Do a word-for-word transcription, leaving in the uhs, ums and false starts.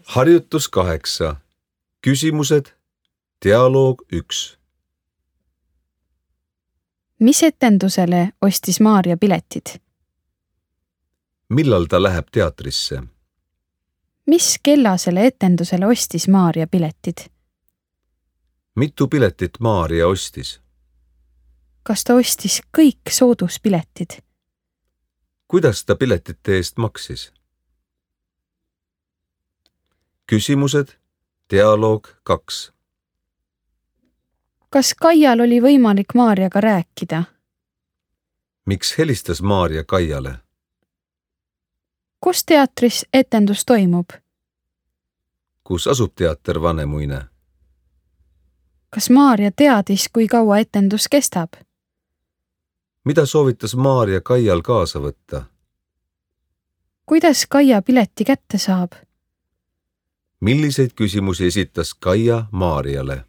Harjutus kaheksa. Küsimused. Dialoog üks. Mis etendusele ostis Maarja piletid? Millal ta läheb teatrisse? Mis kellasele etendusele ostis Maarja piletid? Mitu piletit Maarja ostis? Kas ta ostis kõik sooduspiletid? Kuidas ta piletite eest maksis? Küsimused. Dialoog kaks. Kas Kaial oli võimalik Maarjaga rääkida? Miks helistas Maarja Kaiale? Kus teatris etendus toimub? Kus asub teater Vanemuine? Kas Maarja teadis, kui kaua etendus kestab? Mida soovitas Maarja Kaial kaasa võtta? Kuidas Kaia pileti kätte saab? Milliseid küsimusi esitas Kaia Maarjale?